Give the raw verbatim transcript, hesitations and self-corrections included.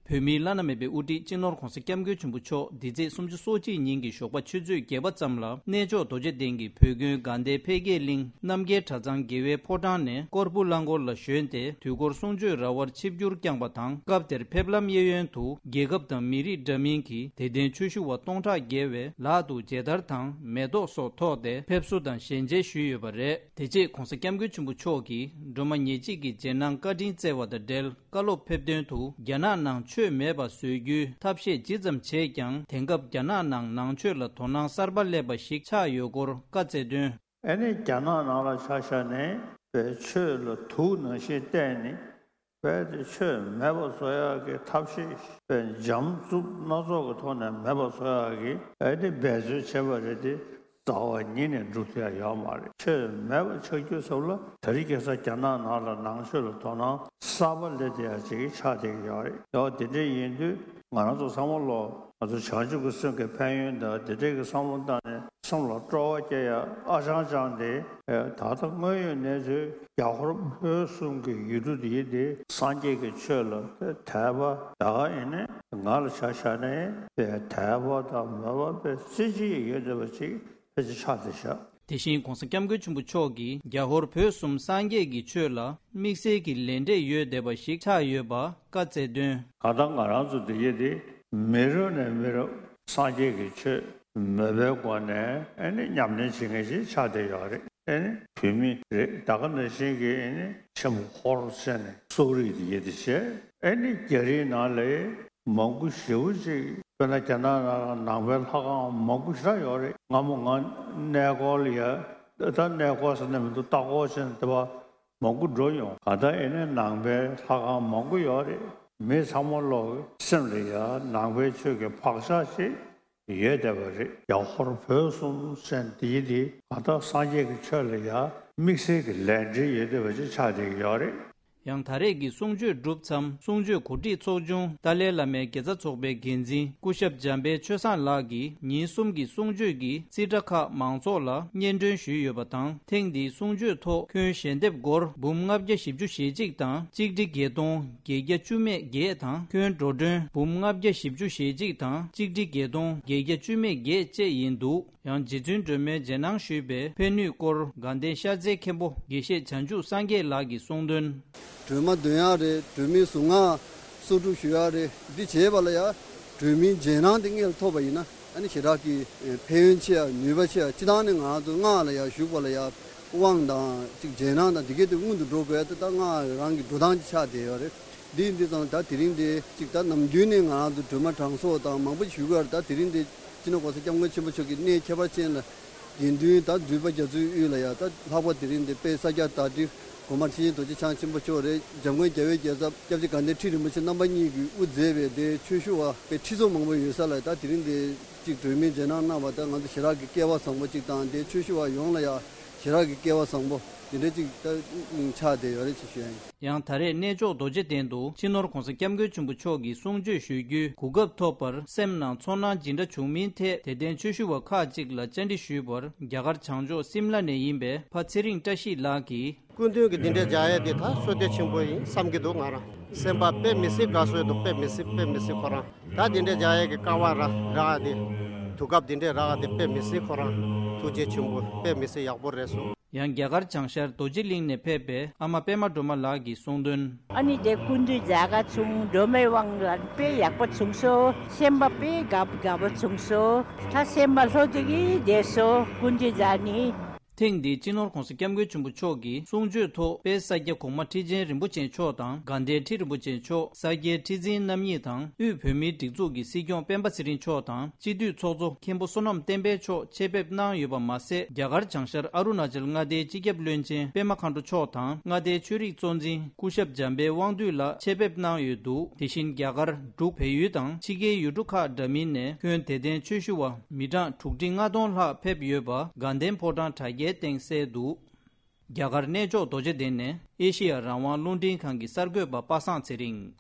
བོད་མིའི་བླ་ན་མེད་པའི་དབུ་ཁྲིད་སྤྱི་ནོར་༧གོང་ས་༧སྐྱབས་མགོན་ཆེན་པོ་མཆོག་འདི་ཚེས་སུམ་ཅུ་སོ་གཅིག་ཉིན་གྱི་ཞོགས་པ་ཆུ་ཚོད་བརྒྱད་པ་ཙམ་ལ་གནས་མཆོག་རྡོ་རྗེ་གདན་གྱི་བོད་དགོན་དགའ་ལྡན་འཕེལ་རྒྱས་གླིང་རྣམ་རྒྱལ་གྲྭ་ཚང་དགེ་བའི་ཕོ་བྲང་ནས་སྐོར་བུ་གླང་འཁོར་ལ་ཞོན་ཏེ། དུས་འཁོར་གསུང་ཆོས་ར་བར་ཆིབས་བསྒྱུར་བསྐྱངས་པ་དང་། སྐབས་དེར་ཕེབས་ལམ་གཡས་གཡོན་དུ་རྒྱལ་ཁབ་དང་མི་རིགས་འདྲ་མིན་གྱི་དད་ལྡན་ཆོས་ཞུ་བ་སྟོང་ཕྲག་བརྒལ་བས་ལག་ཏུ་མཇལ་དར་དང་མེ་ཏོག་སོགས་ཐོགས་ཏེ་ཕེབས་བསུ་དང་ཞལ་མཇལ་ཞུས་ཡོད་པ་རེད། དེ་རྗེས་༧གོང་ས་༧སྐྱབས་མགོན་ཆེན་པོ་མཆོག་གིས་སྒྲོལ་མ་ཉེར་གཅིག་གི་རྗེས་གནང་བཀའ་དྲིན་བསྩལ་བ་དང་འབྲེལ། བཀའ་སློབ་ཕེབས་དོན་དུ། རྒྱ་ནག་ནང་ཆོས་མེད་པ་བཟོ་རྒྱུའི་ཐབས་ཤེས་ཇི་ཙམ་བྱས་ཀྱང་། དེང་སྐབས་རྒྱ་ནག་ནང་ནང་ཆོས་ལ་དོ་སྣང་གསར་པ་སླེབས་པ་ཞིག་ཆགས་ཡོད་སྐོར་བཀའ་སྩལ་དོན། ཨ་ནི་རྒྱ་ནག་ནང་ལ་ཆ་བཞག་ནས་པའི་ཆོས་ལ་དུག་ནང་བཞིན་བསྟན་ནས། པའི་དེ་ཆོས་མེད་པ་བཟོ་ཡག་གི་ཐབས་ཤེས་པའི་འཇམ་རྩུབ་སྣ་ཚོགས་ཀྱི་ཐོག་ནས་མེད་པ་བཟོ་ཡག་གི་ཨ་ནི་འབད་རྩོལ་བྱས་པ་རེད་དེ། རྩ་བ་ཉིད་ནས་འགྲུབ་ཐུབ་ཡ་ཡོད་མ་རེད། ཆོས་མེད་པ་ཆགས་རྒྱུ་ཟེར་བ་ལ་དེ་རིང་ཁ་སང་རྒྱ་ནག་ནང་ལ་ནང་ཆོས་ལ་དོ་སྣང་གསར་པ་སླེབས་བསྡད་ཡ་ཅིག་ཆགས་བསྡད་ཀྱི་ཡོད་རེད། ཡང་དེ་འདྲ་ཡིན་དུས་ང་རང་ཚོ་ཚང་མ་ལོ་ང་ཚོ་བྱང་ཆུབ་ཀྱི་སེམས་ཀྱི་ཕན་ཡོན་དང་དེ་འདྲ་གི་བསམ་བློ་བཏང་ནས་སེམས་ལ་སྤྲོ་བ་སྐྱེ་ཡ་ཨ་ཅང་ཅང་དེ་ད་ལྟ་དངོས་ཡོད་གནས་ཚུལ་རྒྱ་ཧོར་བོད་གསུམ་གྱི་ཡུལ་གྲུ་འདི་ཡིན་ཏེ་སངས་རྒྱས་ཀྱི་ཆོས་ལ་དད་པ་ད་ག་ཡིན་ནས་ང་ལ་ཆ་བཞག་ནས་དད་པ་དང་མོས་པ་དཔེ་རྩེ་གཅིག་ཡོད་བསྡད་པ་ཅིག་ཕལ་ཆེར་ཆགས་བསྡད་ཤག་དེ་བཞིན་༧གོང་ས་༧སྐྱབས་མགོན་ཆེན་པོ་མཆོག་གིས་རྒྱ་ཧོར་བོད་གསུམ་སངས་རྒྱས་ཀྱི་ཆོས་ལ་དམིགས་བསལ་གྱི་ལས་འབྲས་ཡོད་བསྡད་པ་ཞིག་ཆགས་ཡོད་པ་བཀའ་སྩལ་དོན། གང་ལྟར་ང་རང་ཚོ་འདི་ཡེ་འདི་མི་རབས་ནས་མི་རབས་སངས་རྒྱས་ཀྱི་ཆོས་མོས་པའི་སྒོ་ནས་ཨ་ནི་ཉམས་ལེན་བྱེད་མཁན་ཞིག་ཆགས་བསྡད་ཡོད་རེད། ཨ་ནི་བོད་མི་རེད། ད་ག་ནང་བཞིན་གྱི་ཨ་ནི་ཆེན་པོ་ཧོར་ཟེར་ནས་སོག་རིགས་འདི་ཡེ་འདི་བྱས། ཨ་ནི་རྒྱ་རིགས་ནང་ལ་མང་པོ་ཞེ་པོ་ཅིག་དཔེར་ན་རྒྱ་ནག་ནང་ལ་ནང་པའི་ལྷ་ཁང་མང་པོ་ཞེ་དྲག་ཡོད་རེད། སྔ་མོ་ང་གནས་སྐོར་ལ་ཡ་ད་གནས་སྐོར་ཟེར་ནས་མི་འདུག་ལྟ་སྐོར་བྱས་ནས་དེ་བ་མང་པོ་འགྲོ་ཡོང་། གང་ལྟར་ཨེ་ནས་ནང་པའི་ལྷ་ཁང་མང་པོ་ཡོད་རེད། མི་ཚང་མ་ལོག་སེམས་ལ་ཡ་ནང་པའི་ཆོས་ཀྱི་བག་ཆགས་ཤིག་ཡོད་བསྡད་པ་རེད། རྒྱ་ཧོར་བོད་གསུམ་ཟེར་འདི་འདི་གང་ལྟར་སངས་རྒྱས་ཀྱི་ཆོས་ལ་ཡ་དམིགས་བསལ་གྱི་ལས་འབྲེལ་ཡོད་བསྡད་པ་ཅིག་ཆགས་བསྡད་ཀྱི་ཡོད་རེད། ཡང་ད་རེས་ཀྱི་གསུང་ཆོས་གྲུབ་མཚམས་གསུང་ཆོས་གོ་སྒྲིག་ཚོགས་ཆུང་ཏཱ་ལའི་བླ་མའི་དགེ་རྩ་ཚོགས་པའི་འགན་འཛིན་སྐུ་ཞབས་འཇམ་དཔལ་ཆོས་བཟང་ལགས་ཀྱིས་ཉིན་གསུམ་གྱི་གསུང་ཆོས་ཀྱི་རྩིས་ཁྲ་ཁག་མང་ཚོགས་ལ་སྙན་སྒྲོན་ཞུས་ཡོད་པ་དང་། ཐེངས་འདིའི་གསུང་ཆོས་ཐོག་ཁྱོན་ཞལ་འདེབས་སྒོར་འབུམ་ལྔ་བརྒྱ་བཞི་བཅུ་ཞེ་གཅིག་དང་གཅིག་ཁྲི་བརྒྱད་སྟོང་བརྒྱད་བརྒྱ་བཅུ་མེད་བརྒྱད་དང་། ཁྱོན་འགྲོ་གྲོན་འབུམ་ལྔ་བརྒྱ་བཞི་བཅུ་ཞེ་གཅིག་དང་གཅིག་ཁྲི་བརྒྱད་སྟོང་བརྒྱད་བརྒྱ་བཅུ་མེད་བརྒྱད་བཅས་ཡིན་འདུག་ཡང་རྗེ་བཙུན་སྒྲོལ་མའི་རྗེས་གནང་ཞུས་པའི་ཕན་ནུས་སྐོར་དགའ་ལྡན་ཤར་རྩེའི་མཁན་པོ་དགེ་བཤེས་བྱང་ཆུབ་སངས་རྒྱས་ལགས་ཀྱིས་གསུངས་དོན། སྒྲོལ་མ་འདོན་ཡག་རེད། སྒྲོལ་མའི་གཟུངས་སྔགས་གསོག་སྒྲུབ་ཞུ་ཡག་རེད། འདི་བྱས་པ་ལ་ཡང་སྒྲོལ་མའི་རྗེས་གནང་དེ་སྔོན་ལ་ཐོབ་པ་ཡིན་ན་ཨ་ནི་ཞེ་དྲག་གི་ཕན་ཡོན་ཆེ་ཡག་ནུས་པ་ཆེ་ཡག་སྤྱིར་བཏང་ནས་ང་ཚོ་སྔགས་ལ་ཡང་ཞུགས་པ་ལ་ཡང་དབང་དང་ཅིག་རྗེས་གནང་དང་འདི་གས་དེ་སྔོན་དུ་འགྲོ་དགོས་ཡག་དེ་ད་སྔགས་རང་གི་འགྲོ་སྟངས་ཅིག་ཆགས་བསྡད་ཡོད་རེད། འདི་ཡིན་དུས་ཙང་ད་དེ་རིང་འདི་ཅིག་ད་ནམ་རྒྱུན་ནས་ང་རང་ཚོ་སྒྲོལ་མ་གྲངས་གསོག་དང་མང་པོ་ཞུ་གི་ཡོད་རེད། ད་དེ་རིང་འདི་སྤྱི་ནོར་༧གོང་ས་༧སྐྱབས་མགོན་ཆེན་པོ་མཆོག་གི་གནས་ཁྱད་པར་ཅན་ལ་དགེ་འདུན་ད་འདུས་པ་རྒྱ་མཚོའི་དབུས་ལ་ཡ་ད་ལྷག་པ་དེ་རིང་འདི་དཔལ་ས་སྐྱ་བདག་ཁྲི་གོང་མ་ཁྲི་ཆེན་རྡོ་རྗེ་འཆང་ཆེན་པོ་མཆོག་རེད། འཇམ་མགོན་རྒྱལ་བའི་རྒྱལ་ཚབ་སྐྱབས་རྗེ་དགའ་ལྡན་ཁྲི་རིན་པོ་ཆེ་རྣམ་པ་གཉིས་ཀྱིས་དབུ་མཛད་པའི་དེ་ཆོས་ཞུ་བ་དཔེ་ཁྲི་ཚོ་མང་པོ་ཡོད་ས་ལ་ད་དེ་རིང་འདི་ཅིག་སྒྲོལ་མའི་རྗེས་གནང་གནང་བ་ད་ང་ཚོ་ཞེ་དྲག་གི་སྐལ་བ་བཟང་པོ་ཅིག་དང་དེ་ཆོས་ཞུ་བ་ཡོངས་ལ་ཡ་ཞེ་དྲག་གི་སྐལ་བ་བཟང་པོ་དེ་འདྲ་ཅིག་ད་ཆགས་བསྡད་ཡོད་རེད་ཅེས་ཞུ་ཡ་ཡིན། ཡང་ད་རེས་གནས་མཆོག་རྡོ་རྗེ་གདན་དུ་སྤྱི་ནོར་༧གོང་ས་༧སྐྱབས་མགོན་ཆེན་པོ་མཆོག་གི་གསུང་ཆོས་ཞུ་རྒྱུའི་གོ་སྐབས་ཐོབ་པར་སེམས་ནང་ཚོར་སྣང་ཇི་འདྲ་བྱུང་མིན་ཐད་དད་ལྡན་ཆོས་ཞུ་བ་ཁག་ཅིག་ལ་བཅར་འདྲི་ཞུས་པར། རྒྱ་གར་བྱང་ཕྱོགས་སིམ་ལ་ནས་ཡིན་པའི་ཕ་ཚེ་རིང་བཀྲ་ཤིས་ལགས་ཀྱིས། སྐུ་མདུན་གྱི་འདི་འདྲའི་མཇལ་ཡས་འདི་ད་བསོད་བདེ་ཆེན་པོ་ཡིན་བསམ་གྱི་འདུག་ང་རང་སེམས་པ་དཔེ་མི་སྲིད་དགའ་བསུ་འདུག་དཔེ་མི་སྲིད་དཔེ་མི་སྲིད་ཁོ་རང་ད་འདི་འདྲའི་མཇལ་ཡས་ཀྱི་སྐལ་བ་རག་རག་འདི་དུས་སྐབས་འདི་འདྲའི་རག་འདི་དཔེ་མི་སྲིད་ཁོ་རང་ཐུགས་རྗེ་ཆེན་པོ་དཔེ་མི་སྲིད་ཡག་པོ་རེད་སོང་། ཡང་རྒྱ་གར་བྱང་ཤར་རྡོ་རྗེ་གླིང་ནས་ཕེབས་པའི་ཨ་མ་པད་མ་སྒྲོལ་མ་ལགས་ཀྱིས་གསུངས་དོན། ཨ་ནི་དེ་སྐུ་མདུན་མཇལ་ཁ་བྱུང་སྒྲོལ་མའི་དབང་ལ་དཔེ་ཡག་པོ་བྱུང་སོང་། སེམས་པ་དཔེ་དགའ་དགའ་པོ་བྱུང་སོང་། ད་སེམས་པ་ལྷོད་དེ་གི་བསྡད་སོང་སྐུ་མདུན་མཇལ་ནི། ཐེངས་འདིའི་སྤྱི་ནོར་༧གོང་ས་༧སྐྱབས་མགོན་ཆེན་པོ་མཆོག་གིས་གསུང་ཆོས་ཐོག་དཔལ་ས་སྐྱ་གོང་མ་ཁྲི་ཆེན་རིན་པོ་ཆེ་མཆོག་དང་དགའ་ལྡན་ཁྲི་རིན་པོ་ཆེ་མཆོག་ས་སྐྱའི་ཁྲི་འཛིན་རྣམ་གཉིས་དང་དབུས་བོད་མིའི་སྒྲིག་འཛུགས་ཀྱི་སྲིད་སྐྱོང་སྤེན་པ་ཚེ་རིང་མཆོག་དང་སྤྱི་འཐུས་ཚོགས་གཙོ་མཁན་པོ་བསོད་ནམས་བསྟན་འཕེལ་མཆོག་ཆེད་ཕེབས་གནང་ཡོད་པ་མ་ཟད། རྒྱ་གར་བྱང་ཤར་ཨ་རུ་ན་ཅལ་མངའ་སྡེའི་སྤྱི་ཁྱབ་བློན་ཆེན་པད་མ་མཁའ་འགྲོ་མཆོག་དང་མངའ་སྡེའི་ཆོས་རིག་གཙོ་འཛིན་སྐུ་ཞབས་འཇམ་དཔལ་དབང་འདུས་ལགས་ཆེད་ཕེབས་གནང་ཡོད་འདུག་དེ་བཞིན་རྒྱ་གར་འབྲུག་བལ་ཡུལ་དང་ཕྱི་རྒྱལ་ཡུལ་གྲུ་ཁག་འདྲ་མིན་ནས་ཁྱོན་དད་ལྡན་ཆོས་ཞུ་བ་མི་གྲངས་དྲུག་ཁྲི་ལྔ་སྟོང་ལྷག་ཕེབས་ཡོད་པ་དགའ་ལྡན་ཕོ་བྲང་དྲ་རྒྱའི་སྟེང་གསལ་འདུག་རྒྱ་གར་གནས་མཆོག་རྡོ་རྗེ་གདན་ནས་ཨེ་ཤེ་ཡ་རང་དབང་རླུང་འཕྲིན་ཁང་གི་གསར་འགོད་པ་པ་སངས་ཚེ་རིང་།